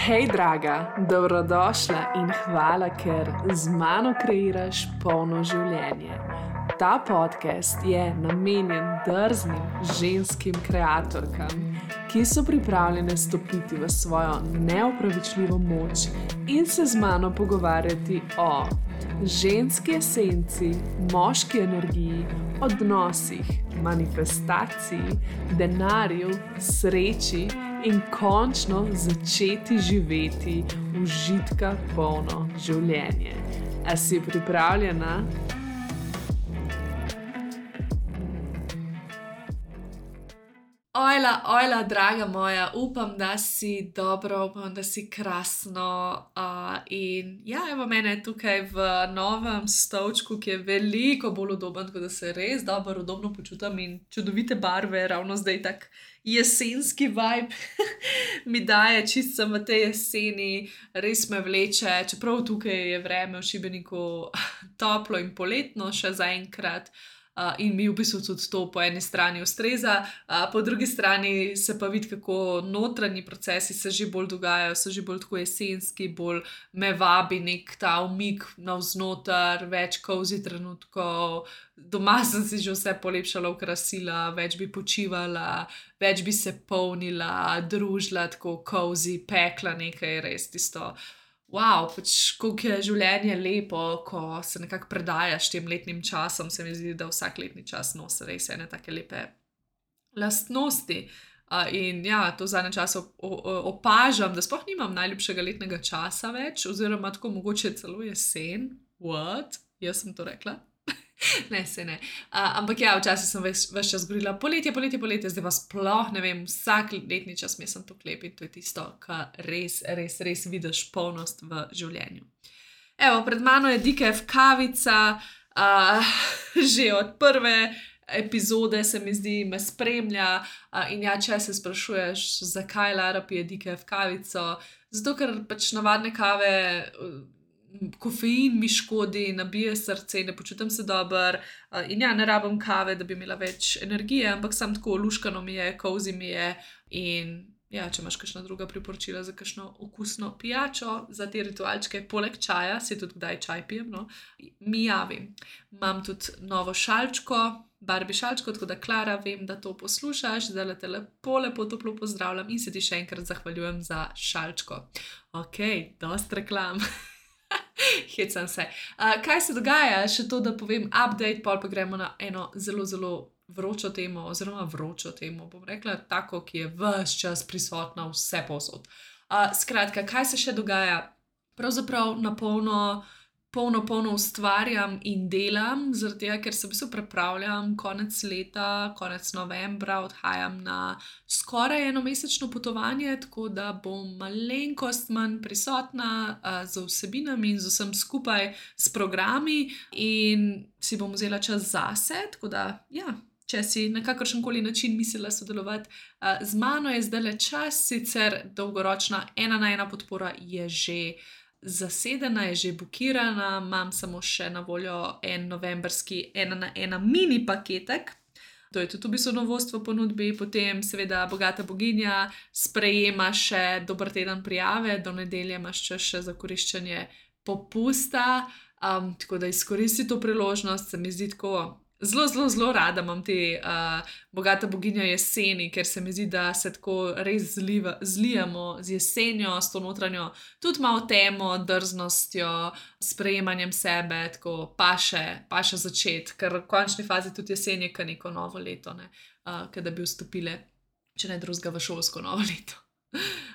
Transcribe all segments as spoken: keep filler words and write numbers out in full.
Hej, draga, dobrodošla in hvala, ker z mano kreiraš polno življenje. Ta podcast je namenjen drznim ženskim kreatorkam, ki so pripravljene stopiti v svojo neopravičljivo moč in se z mano pogovarjati o ženski esenci, moški energiji, odnosih, manifestaciji, denarju, sreči in končno začeti živeti užitka polno življenje. A si pripravljena? Ojla, ojla, draga moja, upam, da si dobro, upam, da si krasno. Uh, in ja, evo mene tukaj v novem stolčku, ki je veliko bolj udoben, tako da se res dobro udobno počutim in čudovite barve, ravno zdaj tak jesenski vibe mi daje, čist sem v tej jeseni, res me vleče, čeprav tukaj je vreme v Šibeniku toplo in poletno še zaenkrat. Uh, in mi v bistvu tudi to po eni strani ustreza, uh, po drugi strani se pa vidi, kako notranji procesi se že bolj dogajajo, so že bolj tako jesenski, bolj me vabi nek ta umik navznoter, več cozy trenutkov, doma sem si že vse polepšala, okrasila, več bi počivala, več bi se polnila, družila, tako cozy, pekla nekaj, res tisto. Wow, pač koliko je življenje lepo, ko se nekako predajaš tem letnim časom, se mi zdi, da vsak letni čas nosi res ene take lepe lastnosti. Uh, in ja, to v zadnjem času opažam, da sploh nimam najljubšega letnega časa več, oziroma tako mogoče celo jesen. What? Jaz sem to rekla? Ne, se ne. Uh, ampak ja, včasih sem ves, ves čas govorila poletje, poletje, poletje, zdaj pa sploh ne vem, vsak letni čas mi sem to klep in to je tisto, kar res, res, res vidiš polnost v življenju. Evo, pred mano je D K F kavica, uh, že od prve epizode se mi zdi, me spremlja uh, in ja, če se sprašuješ, zakaj Lara pije D K F kavico, zato ker pač navadne kave... Uh, Kofein mi škodi, nabije srce, ne počutim se dobro in ja, ne rabim kave, da bi imela več energije, ampak sam tako luškano mi je, cozy mi je in ja, če imaš kakšna druga priporočila za kakšno okusno pijačo, za te ritualčke, poleg čaja, si tudi kdaj čaj pijem, no, mi javim. Imam tudi novo šalčko, Barbie šalčko, tako da Klara, vem, da to poslušaš, zdaj te lepo, lepo toplo pozdravljam in se ti še enkrat zahvaljujem za šalčko. Ok, dost reklam. Hecam se. Uh, kaj se dogaja? Še to, da povem update, pol pa gremo na eno zelo, zelo vročo temo, oziroma vročo temo, bom rekla, tako, ki je ves čas prisotna vse povsod. Uh, skratka, kaj se še dogaja? Pravzaprav na polno, polno, polno ustvarjam in delam, zaradi tega, ker se v bistvu prepravljam konec leta, konec novembra, odhajam na skoraj enomesečno potovanje, tako da bom malenkost manj prisotna uh, z vsebinami in z vsem skupaj s programi in si bom vzela čas zase, tako da ja, če si na kakršenkoli način mislila sodelovati uh, z mano, je zdajle čas, sicer dolgoročna ena na ena podpora je že zasedena, je že bukirana, imam samo še na voljo en novemberski ena na ena mini paketek. To je tudi v bistvu novost v ponudbi, potem seveda Bogata boginja sprejema še dober teden prijave, do nedelje imaš čas še za koriščenje popusta, um, tako da izkoristi to priložnost, se mi zdi tako, zelo, zelo, zelo rada imam te uh, Bogata boginja jeseni, ker se mi zdi, da se tako res zliva, zlijamo z jesenjo, s to notranjo, tudi malo temo, drznostjo, sprejemanjem sebe, tako paše, paše začeti, ker v končni fazi tudi jesen je ka neko novo leto, ne, uh, kada bi vstopile, če ne drugega, v šolsko novo leto.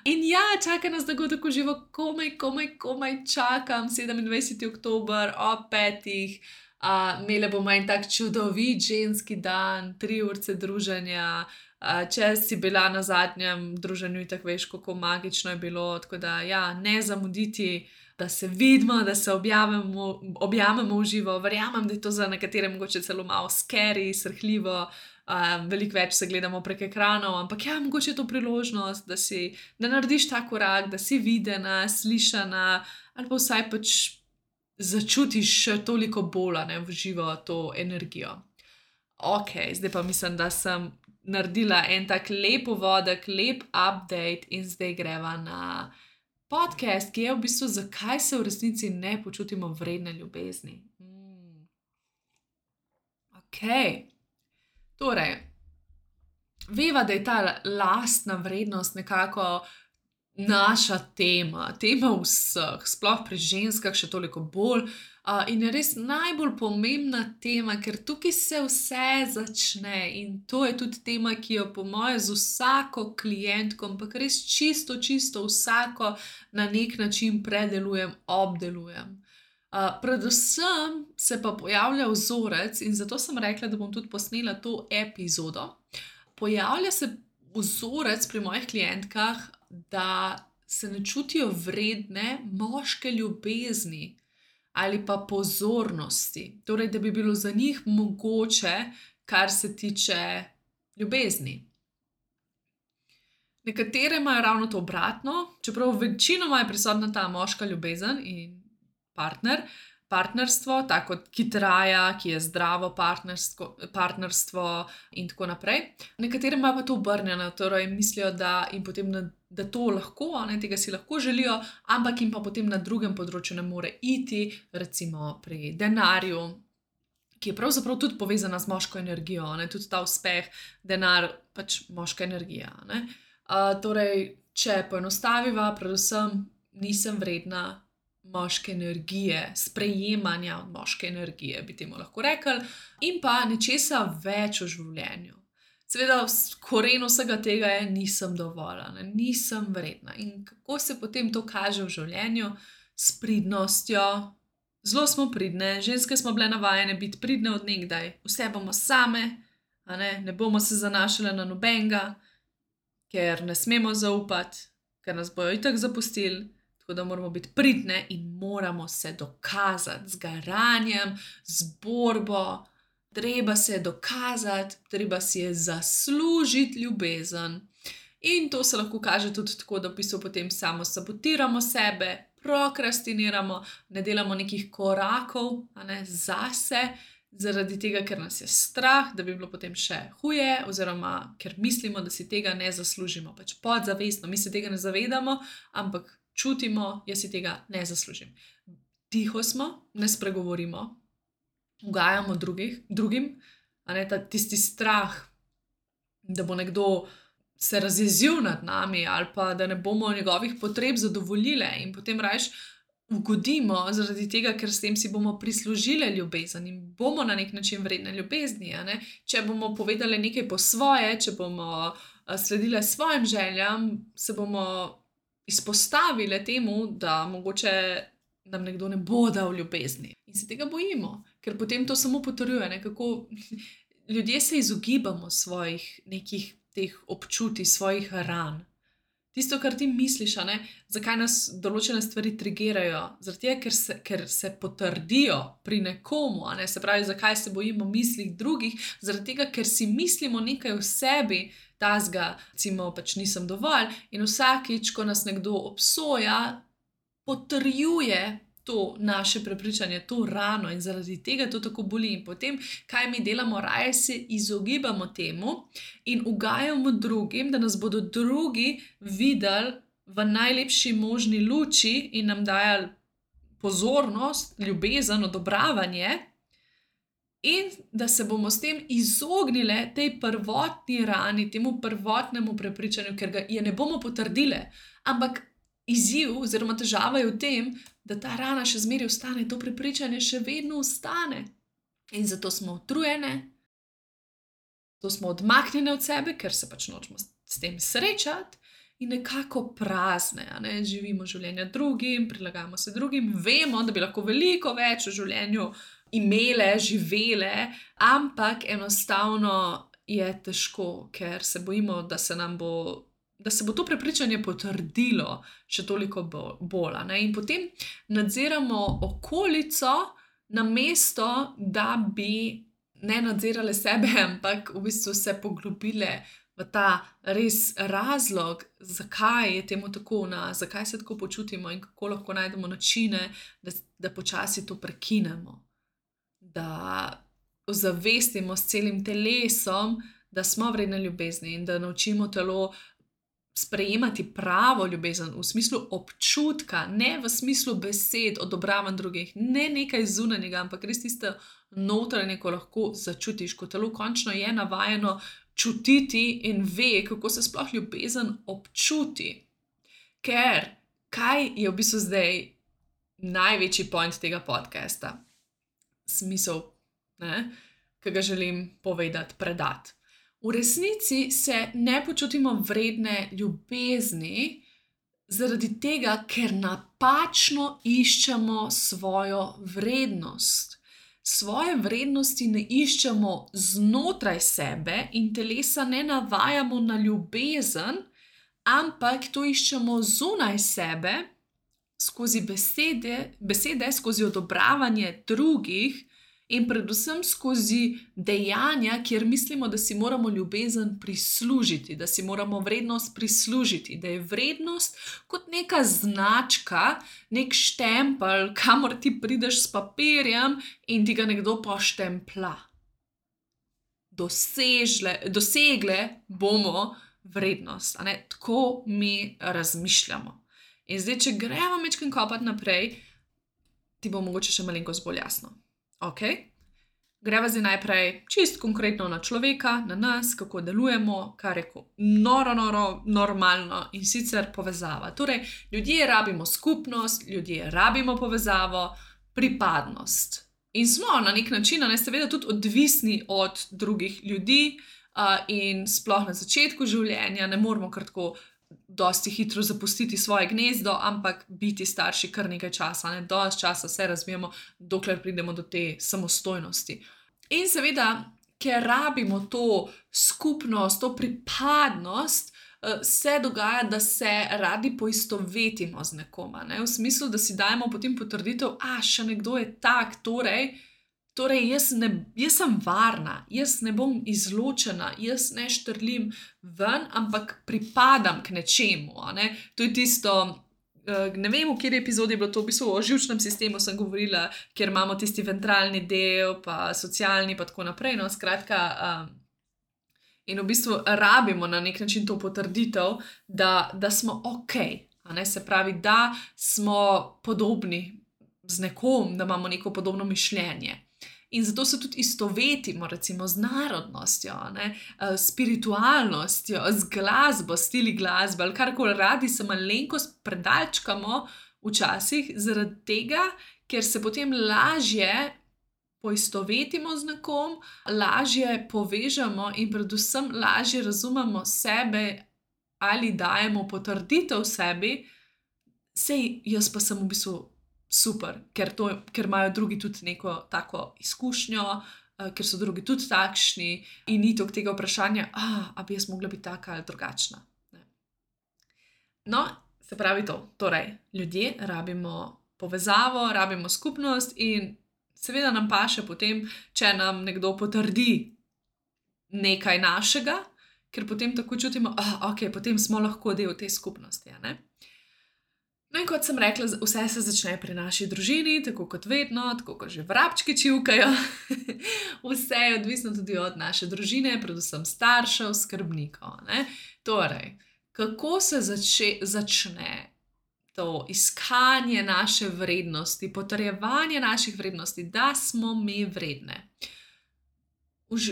In ja, čaka nas dogodek v živo, komaj, komaj, komaj čakam, sedemindvajseti oktober ob petih, Uh, imeli bomo en tak čudovit ženski dan, tri urce druženja, uh, če si bila na zadnjem druženju in tako veš, kako magično je bilo, tako da ja, ne zamuditi, da se vidimo, da se objavimo, objavimo v živo, verjamem, da je to za nekatere mogoče celo malo scary, srhljivo, uh, veliko več se gledamo prek ekranov, ampak ja, mogoče je to priložnost, da si, da narediš ta korak, da si videna, slišana, ali pa vsaj pač začutiš še toliko bolj ne, v živo to energijo. Ok, zdaj pa mislim, da sem naredila en tak lep uvodek, lep update in zdaj greva na podcast, ki je v bistvu, zakaj se v resnici ne počutimo vredne ljubezni. Mm. Ok. Torej, veva, da je ta lastna vrednost nekako naša tema, tema vseh, sploh pri ženskah še toliko bolj. Uh, in je res najbolj pomembna tema, ker tukaj se vse začne in to je tudi tema, ki jo po moje z vsako klientko, ampak res čisto, čisto vsako na nek način predelujem, obdelujem. Uh, predvsem se pa pojavlja vzorec in zato sem rekla, da bom tudi posnela to epizodo. Pojavlja se vzorec pri mojih klientkah, da se ne čutijo vredne moške ljubezni ali pa pozornosti. Torej, da bi bilo za njih mogoče, kar se tiče ljubezni. Nekatere imajo ravno to obratno, čeprav večinoma je prisotna ta moška ljubezen in partner, partnerstvo, tako ki traja, ki je zdravo partnerstvo in tako naprej. Nekatere imajo pa to obrnjeno, torej mislijo, da jim potem na da to lahko, ne, tega si lahko želijo, ampak jim pa potem na drugem področju ne more iti, recimo pri denarju, ki je pravzaprav tudi povezana z moško energijo, ne, tudi ta uspeh, denar, pač moška energija. Ne. Uh, torej, če poenostaviva, predvsem nisem vredna moške energije, sprejemanja od moške energije, bi temu lahko rekli, in pa nečesa več v življenju. Seveda, koren vsega tega je, nisem dovolj, ne, nisem vredna. In kako se potem to kaže v življenju? S pridnostjo. Zelo smo pridne, ženske smo bile navajene biti pridne od nekdaj. Vse bomo same, a ne, ne bomo se zanašale na nobenega, ker ne smemo zaupati, ker nas bojo itak zapustili. Tako da moramo biti pridne in moramo se dokazati z garanjem, z borbo. Treba se je dokazati, treba si je zaslužiti ljubezen. In to se lahko kaže tudi tako, da v bistvu potem samo sabotiramo sebe, prokrastiniramo, ne delamo nekih korakov, a ne, zase, zaradi tega, ker nas je strah, da bi bilo potem še huje, oziroma ker mislimo, da si tega ne zaslužimo. Pač podzavestno, mi se tega ne zavedamo, ampak čutimo, jaz si tega ne zaslužim. Tiho smo, ne spregovorimo, ugajamo drugih, drugim, a ne, ta, tisti strah, da bo nekdo se razjezil nad nami ali pa da ne bomo njegovih potreb zadovoljile in potem rajš ugodimo zaradi tega, ker s tem si bomo prislužile ljubezen in bomo na nek način vredne ljubezni, a ne. Če bomo povedali nekaj po svoje, če bomo sledile svojim željam, se bomo izpostavile temu, da mogoče nam nekdo ne bo dal ljubezni. In se tega bojimo, ker potem to samo potrjuje, ne, kako ljudje se izogibamo svojih nekih teh občutij, svojih ran. Tisto, kar ti misliš, a ne, zakaj nas določene stvari trigerajo, zaradi tega, ker se, ker se potrdijo pri nekomu, a ne, se pravi, zakaj se bojimo mislih drugih, zaradi tega, ker si mislimo nekaj v sebi, tazga, recimo, pač nisem dovolj, in vsakič, ko nas nekdo obsoja, potrjuje to naše prepričanje, to rano in zaradi tega to tako boli. In potem, kaj mi delamo, raje se izogibamo temu in ugajamo drugim, da nas bodo drugi videli v najlepši možni luči in nam dajali pozornost, ljubezen, odobravanje in da se bomo s tem izognile tej prvotni rani, temu prvotnemu prepričanju, ker ga je ne bomo potrdile, ampak izziv oziroma težava je v tem, da ta rana še zmeraj ostane, to prepričanje še vedno ostane. In zato smo utrujene, zato smo odmaknjene od sebe, ker se pač nočemo s tem srečati in nekako prazne, a ne, živimo življenja drugim, prilagajamo se drugim, vemo, da bi lahko veliko več v življenju imele, živele, ampak enostavno je težko, ker se bojimo, da se nam bo da se bo to prepričanje potrdilo še toliko bolj, ne, in potem nadziramo okolico, namesto da bi ne nadzirale sebe, ampak v bistvu se poglobile v ta res razlog, zakaj je temu tako v nas, zakaj se tako počutimo in kako lahko najdemo načine, da, da počasi to prekinemo. Da ozavestimo s celim telesom, da smo vredne ljubezni in da naučimo telo sprejemati pravo ljubezen v smislu občutka, ne v smislu besed, odobravanj drugih, ne nekaj zunanjega, ampak res tisto notranje, ko lahko začutiš, ko telo končno je navajeno čutiti in ve, kako se sploh ljubezen občuti. Ker kaj je v bistvu zdaj največji point tega podcasta? Smisel, ne, ki ga želim povedati, predati. V resnici se ne počutimo vredne ljubezni zaradi tega, ker napačno iščemo svojo vrednost. Svoje vrednosti ne iščemo znotraj sebe in telesa ne navajamo na ljubezen, ampak to iščemo zunaj sebe, skozi besede, besede, skozi odobravanje drugih in predvsem skozi dejanja, kjer mislimo, da si moramo ljubezen prislužiti, da si moramo vrednost prislužiti, da je vrednost kot neka značka, nek štempelj, kamor ti prideš s papirjem in ti ga nekdo poštempla. Dosežle, dosegle bomo vrednost, a ne? Tako mi razmišljamo. In zdaj, če gremo majčkeno kopati naprej, ti bo mogoče še malenkost bolj jasno. Ok, greva zdaj najprej čist konkretno na človeka, na nas, kako delujemo, kar je noro, noro, normalno in sicer povezava. Torej, ljudje rabimo skupnost, ljudje rabimo povezavo, pripadnost. In smo na nek način, ne, seveda tudi odvisni od drugih ljudi uh, in sploh na začetku življenja ne moramo kar tako dosti hitro zapustiti svoje gnezdo, ampak biti starši kar nekaj časa, ne, dosti časa se razvijamo, dokler pridemo do te samostojnosti. In seveda, ker rabimo to skupnost, to pripadnost, se dogaja, da se radi poistovetimo z nekoma, ne, v smislu, da si dajemo potem potrditev, a še nekdo je tak, torej, Torej, jaz, ne, jaz sem varna, jaz ne bom izločena, jaz ne štrlim ven, ampak pripadam k nečemu. Ne? To je tisto, ne vem, v kateri epizodi je bilo to, v bistvu o živčnem sistemu sem govorila, kjer imamo tisti ventralni del, pa socialni, pa tako naprej. No, skratka, um, in v bistvu rabimo na nek način to potrditev, da, da smo ok, a ne? Se pravi, da smo podobni z nekom, da imamo neko podobno mišljenje. In zato se tudi istovetimo, recimo, z narodnostjo, ne, spiritualnostjo, z glasbo, stili glasbe, ali karkoli radi se malenkost predalčkamo včasih, zaradi tega, ker se potem lažje poistovetimo z nekom, lažje povežemo in predvsem lažje razumemo sebe ali dajemo potrditev sebi, sej jaz pa sem v bistvu super, ker, to, ker imajo drugi tudi neko tako izkušnjo, uh, ker so drugi tudi takšni in ni toliko tega vprašanja, ah, a bi jaz mogla biti taka ali drugačna. Ne. No, se pravi to. Torej, ljudje rabimo povezavo, rabimo skupnost in seveda nam paše potem, če nam nekdo potrdi nekaj našega, ker potem tako čutimo, ah, ok, potem smo lahko del te skupnosti, ne? No in kot sem rekla, vse se začne pri naši družini, tako kot vedno, tako kot že vrabčki čivkajo. Vse je odvisno tudi od naše družine, predvsem staršev, skrbnikov. Ne? Torej, kako se zače, začne to iskanje naše vrednosti, potrjevanje naših vrednosti, da smo mi vredne?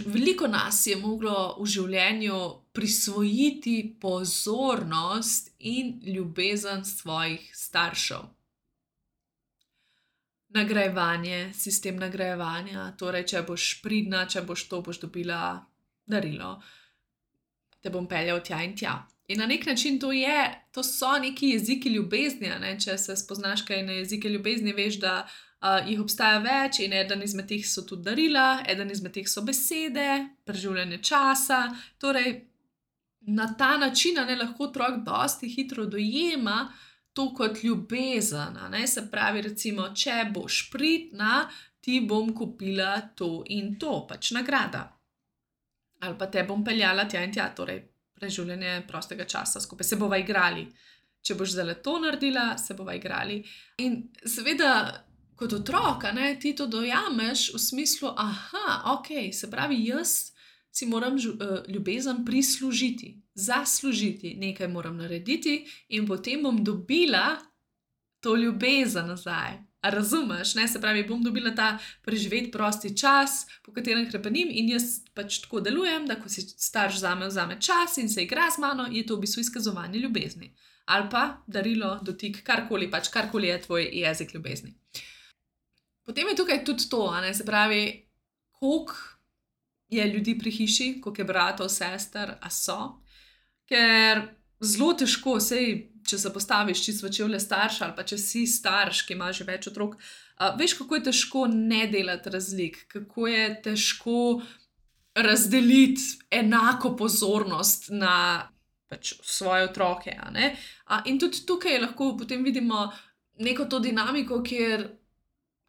Veliko nas je moglo v življenju prisvojiti pozornost in ljubezen svojih staršev. Nagrajevanje, sistem nagrajevanja, torej, če boš pridna, če boš to, boš dobila darilo, te bom peljal tja in tja. In na nek način to je, to so neki jeziki ljubezni, ne? Če se spoznaš kaj na jezike ljubezni, veš, da Uh, jih obstaja več in eden izmed teh so tudi darila, eden izmed teh so besede, preživljanje časa. Torej, na ta način ne, lahko otrok dosti hitro dojema to kot ljubezen. Ne? Se pravi, recimo, če boš pridna, ti bom kupila to in to, pač nagrada. Ali pa te bom peljala tja in tja, torej preživljanje prostega časa, skupaj se bova igrali. Če boš zdaj to naredila, se bova igrali. In seveda, kot otrok, ne, ti to dojameš v smislu, aha, ok, se pravi, jaz si moram žu, uh, ljubezen prislužiti, zaslužiti, nekaj moram narediti in potem bom dobila to ljubezen nazaj. A razumeš? Ne? Se pravi, bom dobila ta preživet prosti čas, po katerem hrepenim in jaz pač tako delujem, da ko si starš zame vzame čas in se igra z mano, je to v bistvu izkazovanje ljubezni. Ali pa darilo, dotik, karkoli, pač karkoli je tvoj jezik ljubezni. Potem je tukaj tudi to, a ne? Se pravi, koliko je ljudi pri hiši, koliko je bratov, sester, a so, ker zelo težko, sej, če se postaviš čisto v čevlje starša ali pa če si starš, ki ima že več otrok, uh, veš, kako je težko ne delati razlik, kako je težko razdeliti enako pozornost na pač svoje otroke. A ne? Uh, in tudi tukaj lahko potem vidimo neko to dinamiko, kjer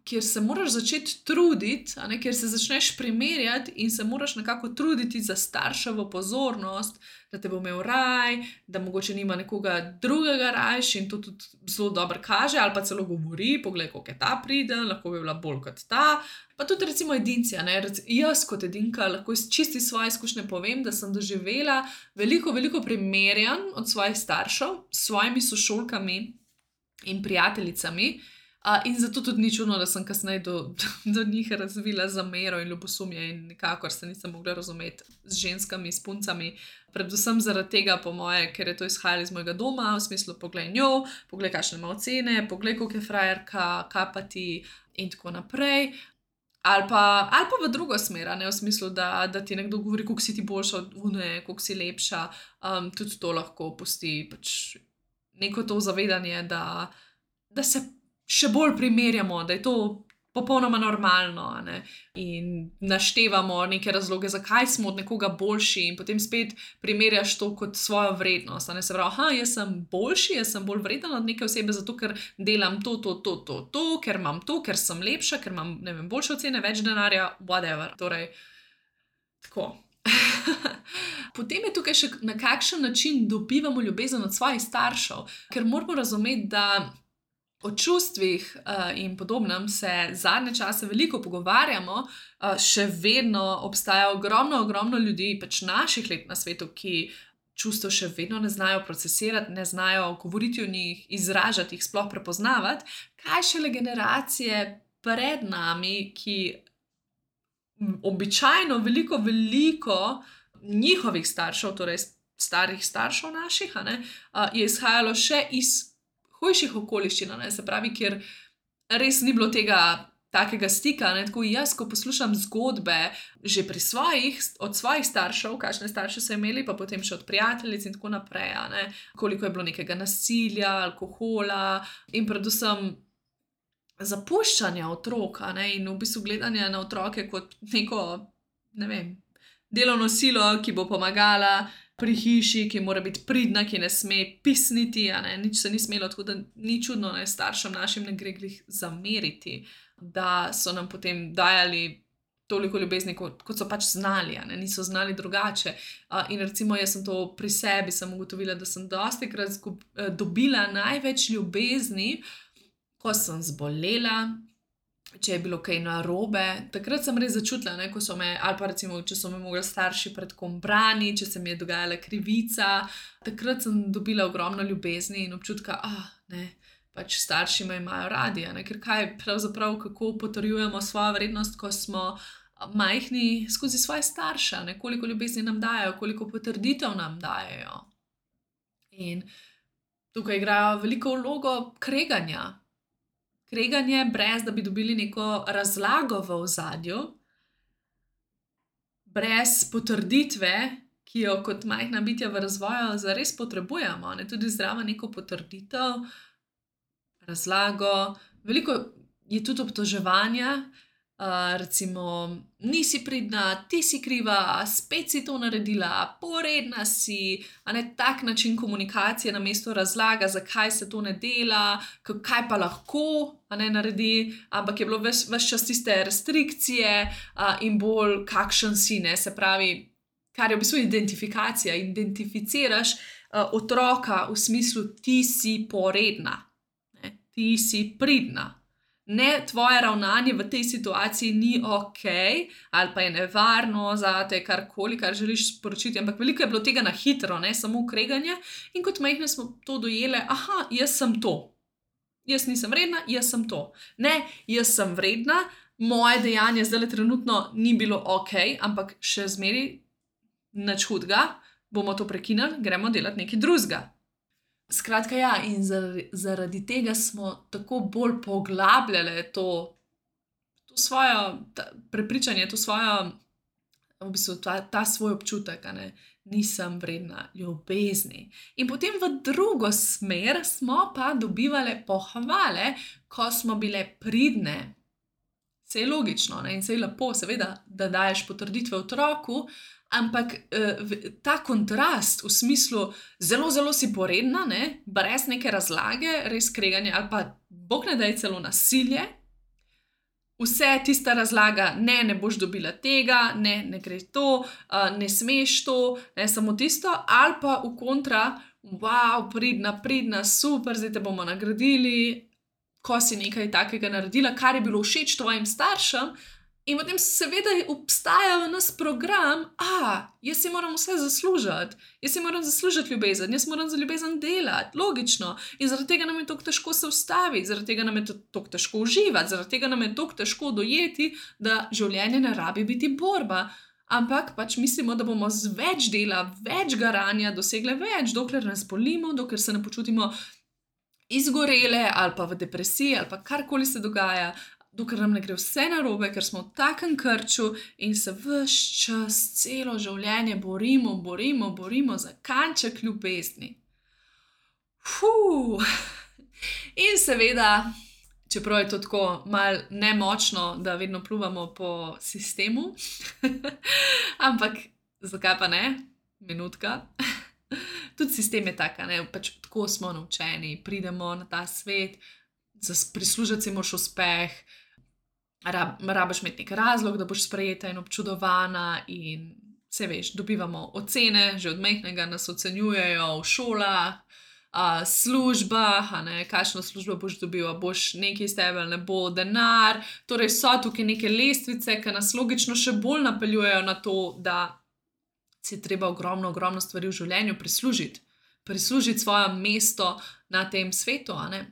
kjer se moraš začeti truditi, a ne, kjer se začneš primerjati in se moraš nekako truditi za starševo pozornost, da te bo imel raj, da mogoče nima nekoga drugega rajš in to tudi zelo dobro kaže ali pa celo govori, poglej, koliko je ta priden, lahko bi bila bolj kot ta. Pa tudi recimo edinci, a ne, jaz kot edinka lahko iz čisti svoje izkušnje povem, da sem doživela veliko, veliko primerjanj od svojih staršev s svojimi sošolkami in prijateljicami. Uh, in zato tudi ni čudno, da sem kasneje do, do, do njih razvila zamero in ljubosumje in nikakor se nisem mogla razumeti z ženskami, s puncami. Predvsem zaradi tega, po moje, ker je to izhajalo iz mojega doma, v smislu poglej njo, poglej kakšne ima ocene, poglej koliko je frajerka, kaj pa ti in tako naprej. Ali pa, ali pa v drugo smer, ne, v smislu, da, da ti nekdo govori, koliko si ti boljša od une, koliko si lepša. Um, tudi to lahko pusti pač neko to zavedanje, da, da se še bolj primerjamo, da je to popolnoma normalno, a ne? In naštevamo neke razloge, zakaj smo od nekoga boljši in potem spet primerjaš to kot svojo vrednost. A ne? Se pravi, aha, jaz sem boljši, jaz sem bolj vreden od neke osebe, zato ker delam to, to, to, to, to, ker imam to, ker sem lepša, ker imam, ne vem, boljše ocene, več denarja, whatever. Torej, tako. Potem je tukaj še na kakšen način dobivamo ljubezen od svojih staršev, ker moramo razumeti, da o čustvih uh, in podobnem se zadnje čase veliko pogovarjamo, uh, še vedno obstaja ogromno, ogromno ljudi, pač naših let na svetu, ki čustev še vedno ne znajo procesirati, ne znajo govoriti o njih, izražati jih, sploh prepoznavati, kaj šele generacije pred nami, ki običajno veliko, veliko njihovih staršev, torej starih staršev naših, a ne, uh, je izhajalo še iz hujših okoliščin, ne, se pravi, kjer res ni bilo tega takega stika, ne, tako jaz, ko poslušam zgodbe že pri svojih, od svojih staršev, kakšne starše so imeli, pa potem še od prijateljic in tako naprej, a ne, koliko je bilo nekega nasilja, alkohola in predvsem zapuščanja otrok, a ne, in v bistvu gledanja na otroke kot neko, ne vem, delovno silo, ki bo pomagala pri hiši, ki mora biti pridna, ki ne sme pisniti, a ne, nič se ni smelo, tako da ni čudno, ne, staršem našim ne gre glih zameriti, da so nam potem dajali toliko ljubezni, kot, kot so pač znali, a ne, niso znali drugače. Uh, in recimo jaz sem to pri sebi sem ugotovila, da sem dostikrat dobila največ ljubezni, ko sem zbolela, če je bilo kaj narobe, takrat sem res začutila, ne, ko so me, ali pa recimo, če so me mogli starši pred kom brani, če se mi je dogajala krivica, takrat sem dobila ogromno ljubezni in občutka, ah, ne, pač starši me imajo radi, ne, ker kaj pravzaprav, kako potrjujemo svojo vrednost, ko smo majhni skozi svoje starše, ne, koliko ljubezni nam dajo, koliko potrditev nam dajo. In tukaj igrajo veliko vlogo kreganja. Kreganje, brez da bi dobili neko razlago v ozadju, brez potrditve, ki jo kot majhna bitja v razvoju zares potrebujemo, ne, tudi zdrava neko potrditev, razlago, veliko je tudi obtoževanja, uh, recimo, nisi pridna, ti si kriva, spet si to naredila, poredna si, a ne, tak način komunikacije namesto razlaga, zakaj se to ne dela, kaj pa lahko, a ne, naredi, ampak je bilo ves, ves čas tiste restrikcije uh, in bolj kakšen si, ne, se pravi, kar je v bistvu identifikacija, identificiraš uh, otroka v smislu ti si poredna, ne, ti si pridna. ne, tvoje ravnanje v tej situaciji ni okej, ali pa je nevarno zate, karkoli, kar želiš sporočiti, ampak veliko je bilo tega na hitro, ne, samo kreganje. In kot majhne smo to dojele, aha, jaz sem to. Jaz nisem vredna, jaz sem to. Ne, jaz sem vredna, moje dejanje zdajle trenutno ni bilo okej, ampak še zmeraj nič hudega, bomo to prekinili, gremo delati nekaj drugega. Skratka, ja, in zaradi, zaradi tega smo tako bolj poglabljale to, to svojo ta, prepričanje, to svojo, v bistvu ta, ta svoj občutek, a ne, nisem vredna ljubezni. In potem v drugo smer smo pa dobivale pohvale, ko smo bile pridne. Saj je logično, ne, in saj je lepo, seveda, da daješ potrditve otroku, ampak eh, ta kontrast v smislu zelo, zelo si poredna, ne, brez neke razlage, res kreganje ali pa bog ne daj celo nasilje, vse tista razlaga, ne, ne boš dobila tega, ne, ne gre to, uh, ne smeš to, ne, samo tisto, ali pa v kontra, wow, pridna, pridna, super, zdaj te bomo nagradili, ko si nekaj takega naredila, kar je bilo všeč tvojim staršem. In potem seveda obstaja v nas program, a, jaz si moram vse zaslužiti, jaz si moram zaslužiti ljubezen, jaz moram za ljubezen delati, logično. In zaradi tega nam je tako težko se ustaviti, zaradi tega nam je tako težko uživati, zaradi tega nam je tako težko dojeti, da življenje ne rabi biti borba. Ampak pač mislimo, da bomo z več dela, več garanja dosegle več, dokler nas bolimo, dokler se ne počutimo izgorele ali pa v depresiji ali pa karkoli se dogaja, dokler nam ne gre vse narobe, ker smo v takem krču in se ves čas, celo življenje borimo, borimo, borimo za kanček ljubezni. Fuh. In seveda, čeprav je to tako malo nemočno, da vedno pljuvamo po sistemu, ampak zakaj pa ne? Minutka. Tudi sistem je tak, ne, pač tako smo naučeni, pridemo na ta svet, prislužiti si moraš uspeh, Rab, rabiš imeti nek razlog, da boš sprejeta in občudovana in se veš, dobivamo ocene, že od majhnega nas ocenjujejo v šolah, a, službah, a ne, kakšno službo boš dobila, boš nekaj iz tebe, ne bo denar, torej so tukaj neke lestvice, ki nas logično še bolj napeljujejo na to, da si treba ogromno, ogromno stvari v življenju prislužiti, prislužiti svoje mesto na tem svetu, a ne.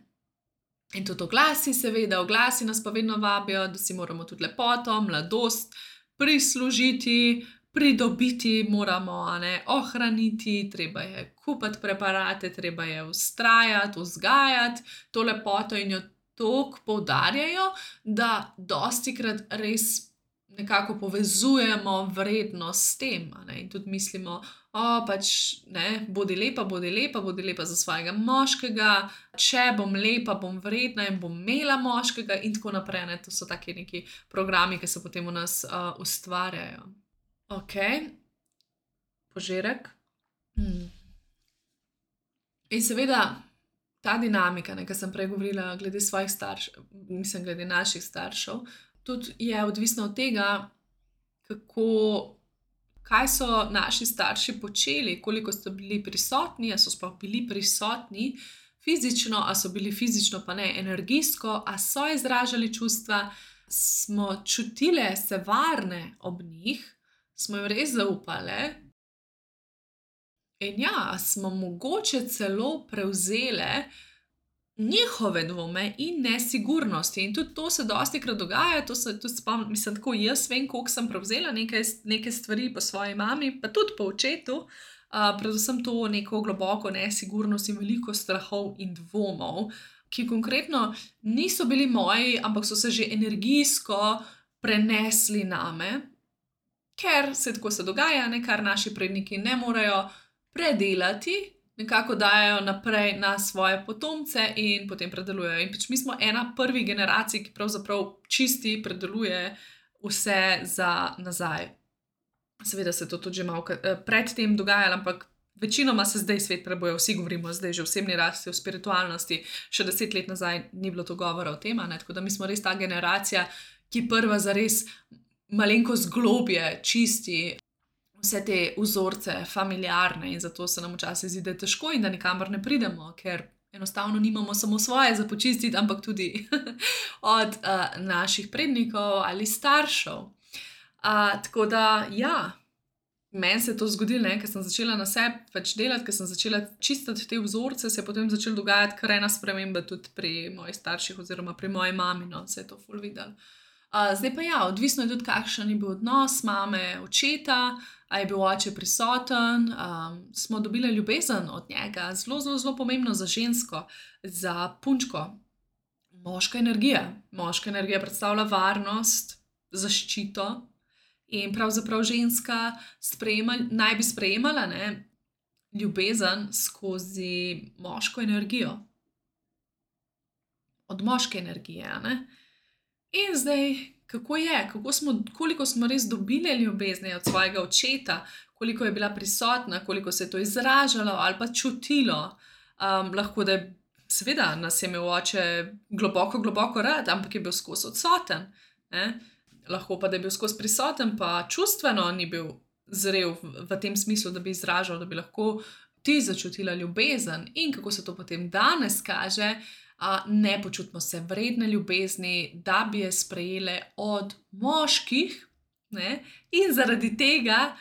In tudi oglasi seveda, oglasi nas pa vedno vabijo, da si moramo tudi lepoto, mladost prislužiti, pridobiti moramo, a ne, ohraniti, treba je kupiti preparate, treba je vztrajati, vzgajati to lepoto in jo toliko poudarjajo, da dostikrat res nekako povezujemo vrednost s tem, a ne, in tudi mislimo, o, pač, ne, bodi lepa, bodi lepa, bodi lepa za svojega moškega, če bom lepa, bom vredna in bom imela moškega in tako naprej, ne, to so taki neki programi, ki se potem v nas uh, ustvarjajo. Ok, požirek. Hmm. In seveda, ta dinamika, ne, ki sem prej govorila glede svojih staršev, mislim, glede naših staršev, tudi je odvisno od tega, kako, kaj so naši starši počeli, koliko so bili prisotni, a so sploh bili prisotni fizično, a so bili fizično pa ne energijsko, a so izražali čustva, smo čutile se varne ob njih, smo jim res zaupale in ja, smo mogoče celo prevzele njihove dvome in nesigurnosti. In tudi to se dostikrat dogaja, to se tudi spomnim, mislim, tako jaz vem, koliko sem prevzela neke, neke stvari po svoji mami, pa tudi po očetu, uh, predvsem to neko globoko nesigurnost in veliko strahov in dvomov, ki konkretno niso bili moji, ampak so se že energijsko prenesli name, ker se tako se dogaja, ne, kar naši predniki ne morejo predelati, nekako dajo naprej na svoje potomce in potem predelujejo. In pač mi smo ena prvih generacij, ki pravzaprav čisti predeluje vse za nazaj. Seveda se to tudi že malo pred tem dogajalo, ampak večinoma se zdaj svet preboja, vsi govorimo zdaj že o osebni rasti, o spiritualnosti, še deset let nazaj ni bilo to govora o tem, ne? Tako da mi smo res ta generacija, ki prva zares malenkost globje čisti vse te vzorce familiarne in zato se nam včasih zdi, da je težko in da nikamor ne pridemo, ker enostavno nimamo samo svoje za počistiti, ampak tudi od uh, naših prednikov ali staršev. Uh, tako da, ja, meni se je to zgodilo, ker sem začela na sebi pač delati, ker sem začela čistiti te vzorce, se je potem začela dogajati kar ena sprememba tudi pri mojih starših oziroma pri moji mami, no, se je to ful videlo. Uh, zdaj pa ja, odvisno je tudi, kakšen je bil odnos mame, očeta, a je bil oče prisoten, um, smo dobili ljubezen od njega, zelo, zelo, zelo pomembno za žensko, za punčko. Moška energija. Moška energija predstavlja varnost, zaščito in pravzaprav ženska sprejema, naj bi sprejemala, ne, ljubezen skozi moško energijo. Od moške energije, a ne. In zdaj, kako je, kako smo, koliko smo res dobili ljubezni od svojega očeta, koliko je bila prisotna, koliko se je to izražalo ali pa čutilo. Um, lahko da je, seveda, nas je imel oče globoko, globoko rad, ampak je bil skozi odsoten. Ne? Lahko pa, da je bil skozi prisoten, pa čustveno ni bil zrel v, v tem smislu, da bi izražal, da bi lahko ti začutila ljubezen. In kako se to potem danes kaže, a ne počutimo se vredne ljubezni, da bi je sprejele od moških, ne? In zaradi tega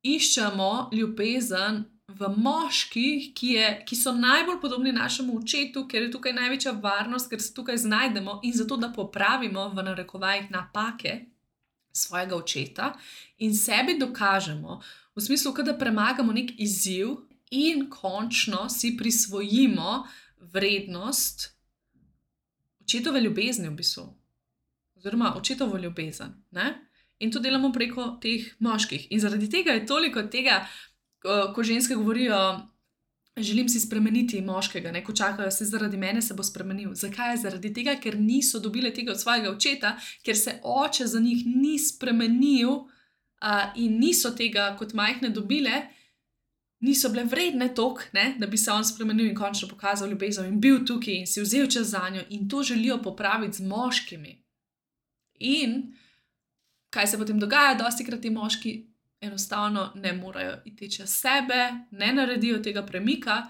iščemo ljubezen v moških, ki, je, ki so najbolj podobni našemu očetu, ker je tukaj največja varnost, ker se tukaj znajdemo in zato, da popravimo v narekovajih napake svojega očeta in sebi dokažemo, v smislu, da premagamo nek izziv in končno si prisvojimo vrednost očetove ljubezni v bistvu, oziroma očetovo ljubezen, ne? In to delamo preko teh moških. In zaradi tega je toliko tega, ko ženske govorijo, želim si spremeniti moškega, ne? Ko čakajo, se zaradi mene se bo spremenil. Zakaj? Zaradi tega, ker niso dobile tega od svojega očeta, ker se oče za njih ni spremenil uh, in niso tega kot majhne dobile, niso bile vredne toliko, ne, da bi se on spremenil in končno pokazal ljubezen in bil tukaj in si vzel čas zanjo in to želijo popraviti z moškimi. In kaj se potem dogaja? Dostikrat ti moški enostavno ne morejo iti čez sebe, ne naredijo tega premika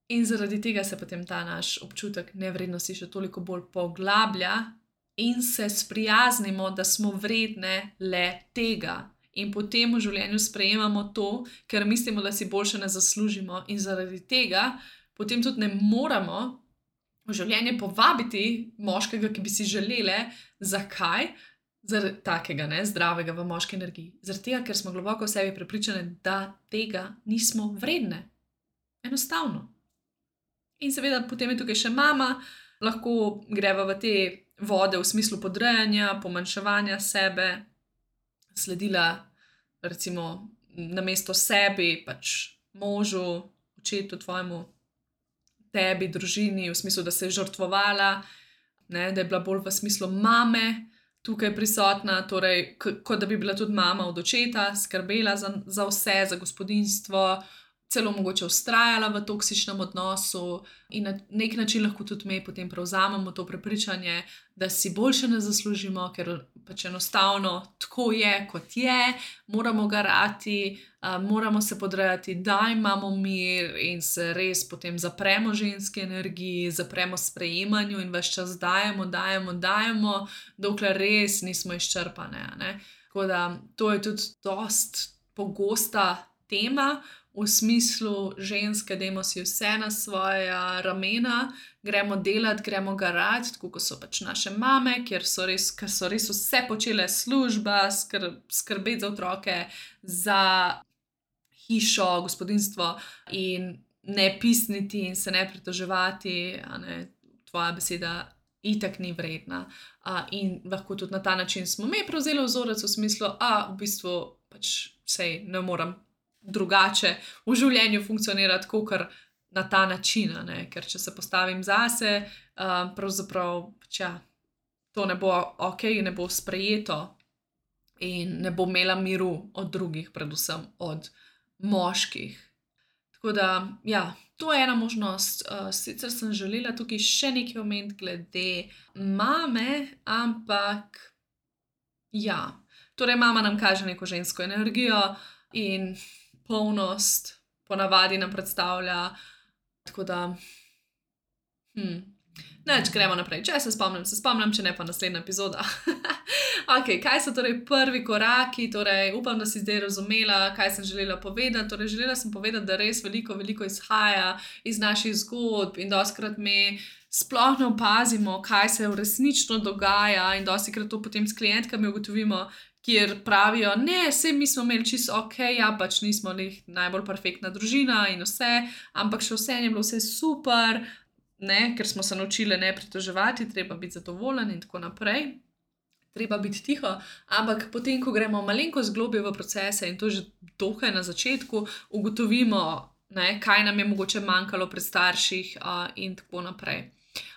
in zaradi tega se potem ta naš občutek nevrednosti še toliko bolj poglablja in se sprijaznimo, da smo vredne le tega. In potem v življenju sprejemamo to, ker mislimo, da si boljše ne zaslužimo in zaradi tega potem tudi ne moremo v življenje povabiti moškega, ki bi si želele. Zakaj? Zaradi takega, ne, zdravega v moški energiji. Zaradi tega, ker smo globoko v sebi prepričane, da tega nismo vredne. Enostavno. In seveda potem je tukaj še mama, lahko greva v te vode v smislu podrejanja, pomanjševanja sebe, sledila recimo namesto sebi, pač možu, očetu tvojemu, tebi, družini, v smislu, da se je žrtvovala, ne, da je bila bolj v smislu mame tukaj prisotna, torej kot da bi bila tudi mama od očeta, skrbela za, za vse, za gospodinjstvo, celo mogoče vztrajala v toksičnem odnosu in na nek način lahko tudi mi potem prevzamemo to prepričanje, da si boljše ne zaslužimo, ker pač enostavno tako je, kot je, moramo garati, uh, moramo se podrejati, da imamo mir in se res potem zapremo ženski energiji, zapremo sprejemanju in ves čas dajemo, dajemo, dajemo, dokler res nismo izčrpane, ne. Tako da to je tudi dost pogosta tema, v smislu ženske, dajmo si vse na svoja ramena, gremo delati, gremo garati, tako kot so pač naše mame, kjer so res, ker so res vse počele, služba, skrb, skrbeti za otroke, za hišo, gospodinjstvo in ne pisniti in se ne pritoževati, a ne, tvoja beseda itak ni vredna. A, in lahko tudi na ta način smo mi prevzeli vzorec v smislu, a v bistvu pač sej ne morem drugače v življenju funkcionirati, kakor na ta način, ne? Ker če se postavim zase, uh, pravzaprav pač ja, to ne bo ok, ne bo sprejeto in ne bo imela miru od drugih, predvsem od moških. Tako da, ja, to je ena možnost. Uh, sicer sem želela tukaj še nekaj omeniti glede mame, ampak ja, torej mama nam kaže neko žensko energijo in polnost ponavadi nam predstavlja, tako da Hm. Neč, gremo naprej. Če se spomnim, se spomnim, če ne pa naslednja epizoda. Ok, kaj so torej prvi koraki? Torej, upam, da si zdaj razumela, kaj sem želela povedati. Torej, želela sem povedati, da res veliko, veliko izhaja iz naših zgodb in dostikrat mi sploh ne opazimo, kaj se resnično dogaja, in dostikrat to potem s klientkami ugotovimo, kjer pravijo, ne, saj mi smo imeli čisto ok, ja, pač nismo glih najbolj perfektna družina in vse, ampak še vseeno je bilo vse super, ne, ker smo se naučile ne pritoževati, treba biti zadovoljen in tako naprej. Treba biti tiho, ampak potem, ko gremo malenkost globlje v procese, in to že dokaj na začetku, ugotovimo, ne, kaj nam je mogoče manjkalo pri starših, uh, in tako naprej.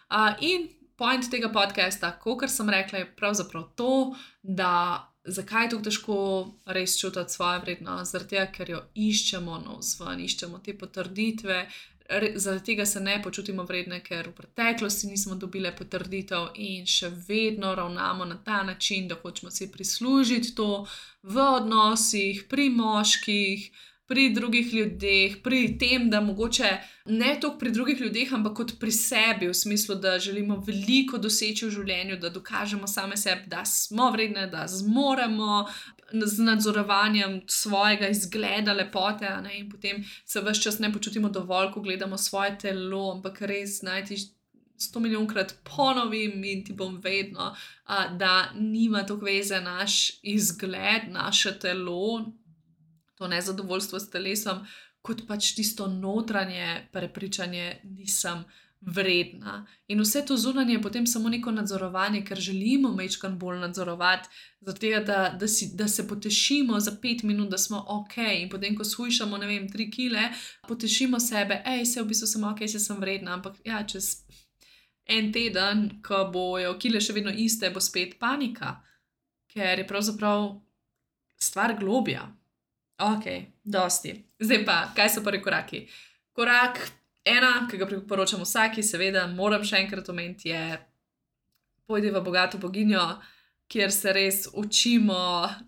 Uh, in point tega podcasta, kakor sem rekla, je pravzaprav to, da zakaj je tako težko res čutiti svojo vrednost, zaradi tega, ker jo iščemo navzven, iščemo te potrditve, re, zaradi tega se ne počutimo vredne, ker v preteklosti nismo dobile potrditev in še vedno ravnamo na ta način, da hočemo si prislužiti to v odnosih, pri moških, pri drugih ljudeh, pri tem, da mogoče ne toliko pri drugih ljudeh, ampak kot pri sebi, v smislu, da želimo veliko doseči v življenju, da dokažemo same sebi, da smo vredne, da zmoremo, z nadzorovanjem svojega izgleda, lepote, a ne, in potem se ves čas ne počutimo dovolj, ko gledamo svoje telo, ampak res naj ti sto milijonkrat ponovim in ti bom vedno, a, da nima toliko veze naš izgled, naše telo, to nezadovoljstvo s telesom, kot pač tisto notranje prepričanje, nisem vredna. In vse to zunanje je potem samo neko nadzorovanje, ker želimo majčkeno bolj nadzorovati, zaradi tega, da, da, si, da se potešimo za pet minut, da smo ok, in potem, ko shujšamo, ne vem, tri kile, potešimo sebe, ej, saj v bistvu sem ok, saj sem vredna, ampak ja, čez en teden, ko bojo kile še vedno iste, bo spet panika, ker je pravzaprav stvar globja. Ok, dosti. Zdaj pa, kaj so prvi koraki? Korak ena, ki ga priporočam vsaki, seveda moram še enkrat omeniti, je pojdi v bogato boginjo, kjer se res učimo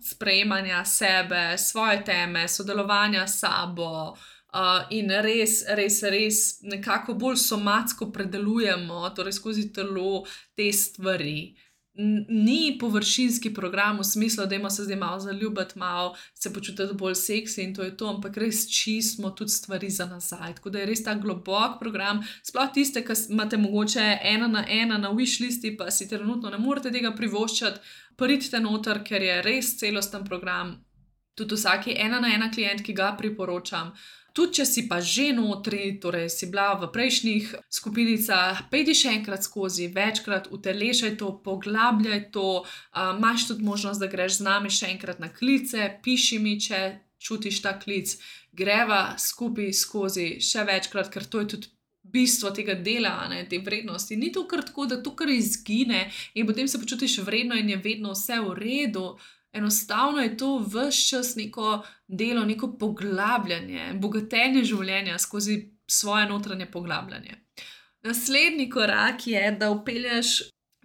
sprejemanja sebe, svoje teme, sodelovanja s sabo, uh, in res, res, res nekako bolj somatsko predelujemo, torej skozi telo, te stvari. Ni površinski program v smislu, dajmo se zdaj malo zaljubiti, malo se počutiti bolj seksi in to je to, ampak res čistimo tudi stvari za nazaj. Tako da je res ta globok program, sploh tiste, ki imate mogoče ena na ena na wishlisti, pa si trenutno ne morete tega privoščiti, pridite noter, ker je res celosten program. Tudi vsaki ena na ena klient, ki ga priporočam. Tudi če si pa že notri, torej si bila v prejšnjih skupinicah, pejdi še enkrat skozi, večkrat utelešaj to, poglabljaj to, uh, imaš tudi možnost, da greš z nami še enkrat na klice, piši mi, če čutiš ta klic, greva skupaj skozi še večkrat, ker to je tudi bistvo tega dela, ne, te vrednosti. Ni to kar tako, da to kar izgine in potem se počutiš vredno in je vedno vse v redu. Enostavno je to ves čas neko delo, neko poglabljanje, bogatenje življenja skozi svoje notranje poglabljanje. Naslednji korak je, da vpelješ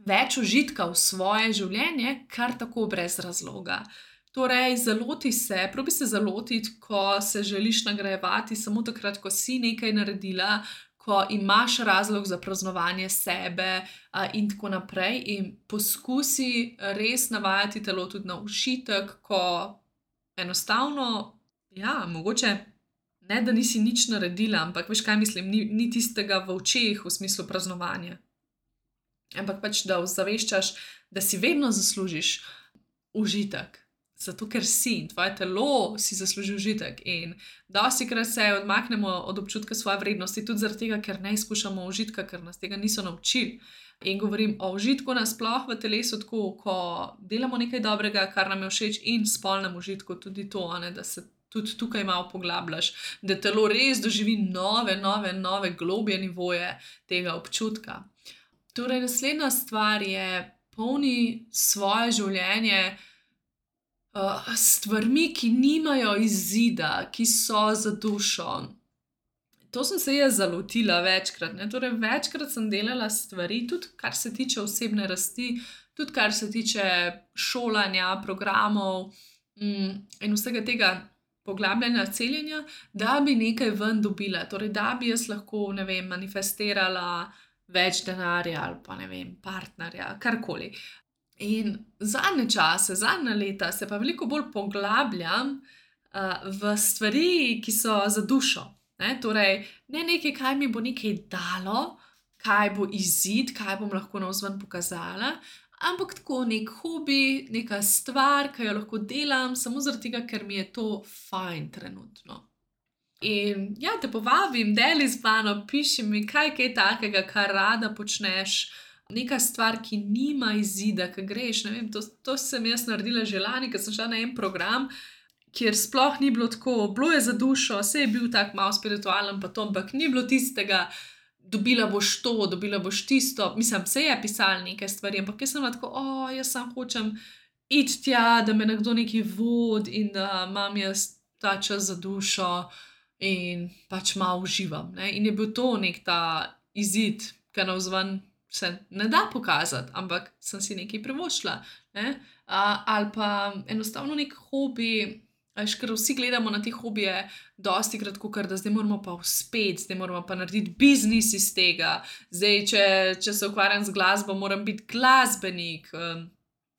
več užitka v svoje življenje, kar tako brez razloga. Torej, zaloti se, probi se zalotiti, ko se želiš nagrajevati, samo takrat, ko si nekaj naredila, ko imaš razlog za praznovanje sebe, a, in tako naprej, in poskusi res navajati telo tudi na užitek, ko enostavno, ja, mogoče ne, da nisi nič naredila, ampak veš, kaj mislim, ni, ni tistega v očeh v smislu praznovanja. Ampak pač, da ozaveščaš, da si vedno zaslužiš užitek. Zato, ker si in tvoje telo si zasluži užitek. In dostikrat se odmaknemo od občutka svoje vrednosti, tudi zaradi tega, ker ne izkušamo užitka, ker nas tega niso naučili. In govorim o užitku nasploh v telesu, tako, ko delamo nekaj dobrega, kar nam je všeč, in spolnem užitku tudi to, ne, da se tudi tukaj malo poglabljaš, da telo res doživi nove, nove, nove globje nivoje tega občutka. Torej, naslednja stvar je, polni svoje življenje Uh, stvarmi, ki nimajo izida, ki so za dušo. To sem se jaz zalotila večkrat, ne, torej večkrat sem delala stvari, tudi kar se tiče osebne rasti, tudi kar se tiče šolanja, programov, mm, in vsega tega poglabljanja, celjenja, da bi nekaj ven dobila, torej da bi jaz lahko, ne vem, manifestirala več denarja ali pa ne vem, partnerja, karkoli. In zadnje čase, zadnja leta se pa veliko bolj poglabljam uh, v stvari, ki so za dušo. Ne? Torej, ne nekaj, kaj mi bo nekaj dalo, kaj bo izid, kaj bom lahko navzven pokazala, ampak tako nek hobi, neka stvar, ki jo lahko delam, samo zaradi tega, ker mi je to fajn trenutno. In ja, te povabim, deli z mano, piši mi, kaj kaj takega, kar rada počneš, neka stvar, ki nima izida, ki greš, ne vem, to, to sem jaz naredila že lani, ker sem šla na en program, kjer sploh ni bilo tako, bilo je za dušo, saj je bil tak malo spiritualen pa to, ampak ni bilo tistega, dobila boš to, dobila boš tisto, mislim, se je pisalo nekaj stvari, ampak jaz sem bila tako, o, jaz sam hočem iti tja, da me nekdo nekaj vodi in da imam jaz ta čas za dušo in pač malo uživam, ne, in je bil to nek ta izid, ki navzven se ne da pokazati, ampak sem si nekaj privoščila, ne, a, ali pa enostavno nek hobi, a veš, ker vsi gledamo na te hobije dostikrat, kakor da zdaj moramo pa uspeti, zdaj moramo pa narediti biznis iz tega, zdaj, če, če se ukvarjam z glasbo, moram biti glasbenik, um,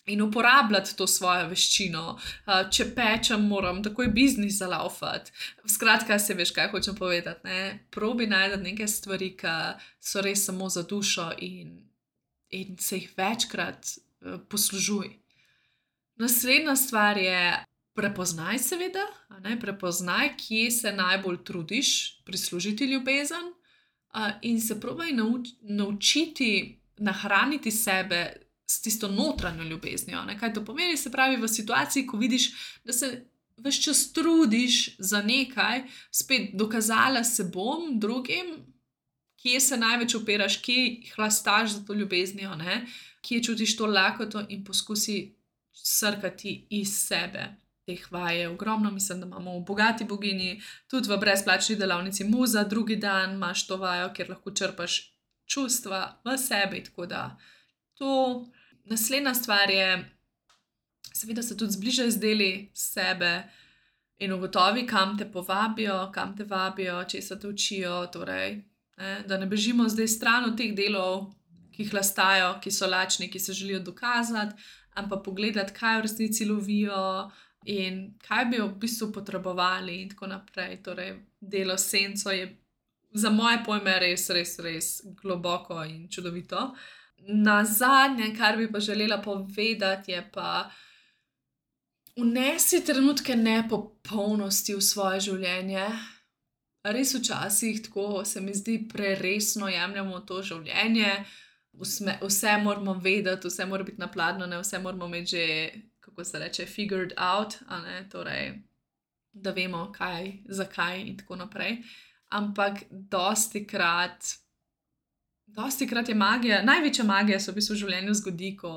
in uporabljati to svojo veščino. Uh, če pečem, moram takoj biznis zalaufati. Skratka, se veš, kaj hočem povedati, ne? Probi najti neke stvari, ki so res samo za dušo in, in se jih večkrat uh, poslužuj. Naslednja stvar je prepoznaj seveda, a ne? Prepoznaj, kje se najbolj trudiš prislužiti ljubezen, uh, in se probaj nauč, naučiti nahraniti sebe s tisto notranjo ljubeznijo. Ne? Kaj to pomeni? Se pravi, v situaciji, ko vidiš, da se ves čas trudiš za nekaj, spet dokazala se bom drugim, kje se največ opiraš, kje hlastaš za to ljubeznijo, ne? Kje čutiš to lakoto in poskusi srkati iz sebe. Teh vaj je ogromno, mislim, da imamo v Bogati boginji, tudi v brezplačni delavnici Muza, drugi dan imaš to vajo, kjer lahko črpaš čustva v sebi, tako da to. Naslednja stvar je, seveda se tudi zbližaj z deli sebe in ugotovi, kam te povabijo, kam te vabijo, česa te učijo, torej, ne, da ne bežimo zdaj stran od teh delov, ki hlastajo, ki so lačni, ki se želijo dokazati, ampak pogledati, kaj v resnici lovijo in kaj bi v bistvu potrebovali in tako naprej. Torej, delo s senco je za moje pojme res, res, res globoko in čudovito. Na zadnje, kar bi pa želela povedati, je pa vnesi trenutke nepopolnosti v svoje življenje. Res včasih tako se mi zdi preresno jemljamo to življenje, vse, vse moramo vedeti, vse mora biti napladnjeno, vse moramo imeti že, kako se reče, figured out, a ne, torej, da vemo kaj, zakaj in tako naprej. Ampak dostikrat Dosti krat je magija, največja magija se v bistvu v življenju zgodi, ko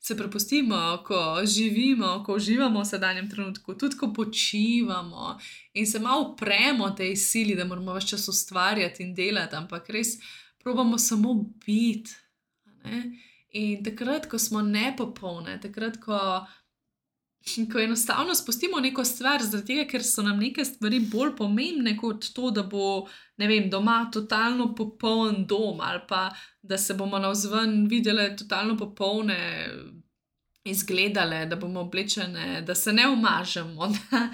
se prepustimo, ko živimo, ko uživamo v sedanjem trenutku, tudi ko počivamo in se malo upremo tej sili, da moramo ves čas ustvarjati in delati, ampak res probamo samo biti. Ne? In takrat, ko smo nepopolne, takrat, ko, ko enostavno spustimo neko stvar, zaradi tega, ker so nam neke stvari bolj pomembne kot to, da bo, ne vem, doma totalno popoln dom ali pa da se bomo navzven videle totalno popolne izgledale, da bomo oblečene, da se ne umažemo, da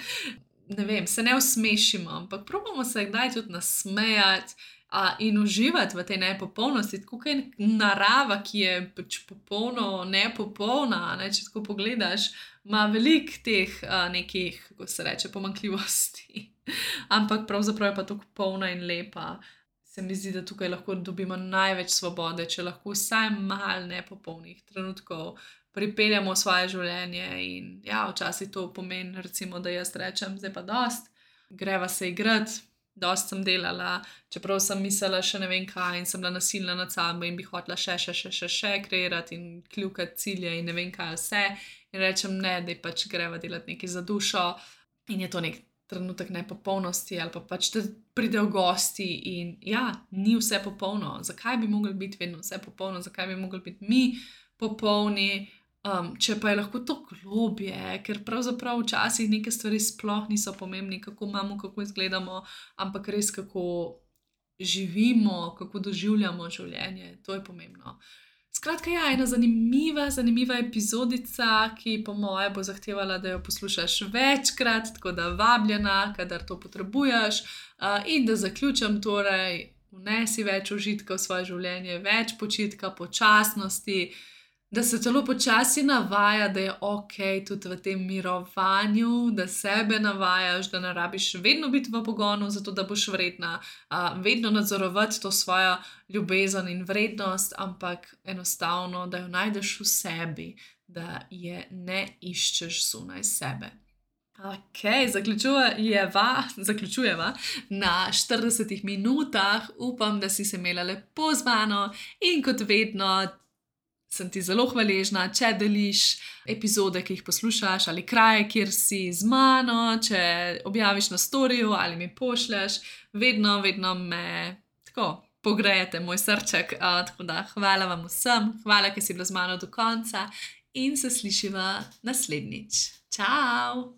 ne vem, se ne usmešimo, ampak probamo se kdaj tudi nasmejati a, in uživati v tej nepopolnosti, tako kot je narava, ki je pač popolno nepopolna, ne, če tako pogledaš, ima veliko teh a, nekih, kako se reče, pomanjkljivosti. Ampak pravzaprav je pa tako polna in lepa. Se mi zdi, da tukaj lahko dobimo največ svobode, če lahko vsaj malo nepopolnih trenutkov pripeljamo v svoje življenje in ja, včasih to pomeni, recimo, da jaz rečem, zdaj pa dost, greva se igrati, dost sem delala, čeprav sem mislila še ne vem kaj in sem bila nasilna nad sabo in bi hotela še, še, še, še, še kreirati in kljukati cilje in ne vem kaj vse in rečem ne, da pač greva delati nekaj za dušo in je to nek trenutek nepopolnosti ali pa pač da pridejo gosti in ja, ni vse popolno. Zakaj bi mogli biti vedno vse popolno? Zakaj bi mogli biti mi popolni? Um, če pa je lahko to globje, ker pravzaprav včasih neke stvari sploh niso pomembne, kako imamo, kako izgledamo, ampak res kako živimo, kako doživljamo življenje. To je pomembno. Skratka, ja, ena zanimiva, zanimiva epizodica, ki po moje bo zahtevala, da jo poslušaš večkrat, tako da vabljena, kadar to potrebuješ. Uh, in da zaključim torej, vnesi več užitka v svoje življenje, več počitka, počasnosti, da se celo počasi navaja, da je ok tudi v tem mirovanju, da sebe navajaš, da ne rabiš vedno biti v pogonu, zato da boš vredna, uh, vedno nadzorovati to svojo ljubezen in vrednost, ampak enostavno, da jo najdeš v sebi, da je ne iščeš zunaj sebe. Ok, zaključujeva, zaključujeva na štiridesetih minutah. Upam, da si se imela lepo z mano in kot vedno sem ti zelo hvaležna, če deliš epizode, ki jih poslušaš, ali kraje, kjer si z mano, če objaviš na storiju ali mi pošlješ. Vedno, vedno me tako pogrejete moj srček. Uh, tako da hvala vam vsem, hvala, ker si bila z mano do konca in se slišiva naslednjič. Čau!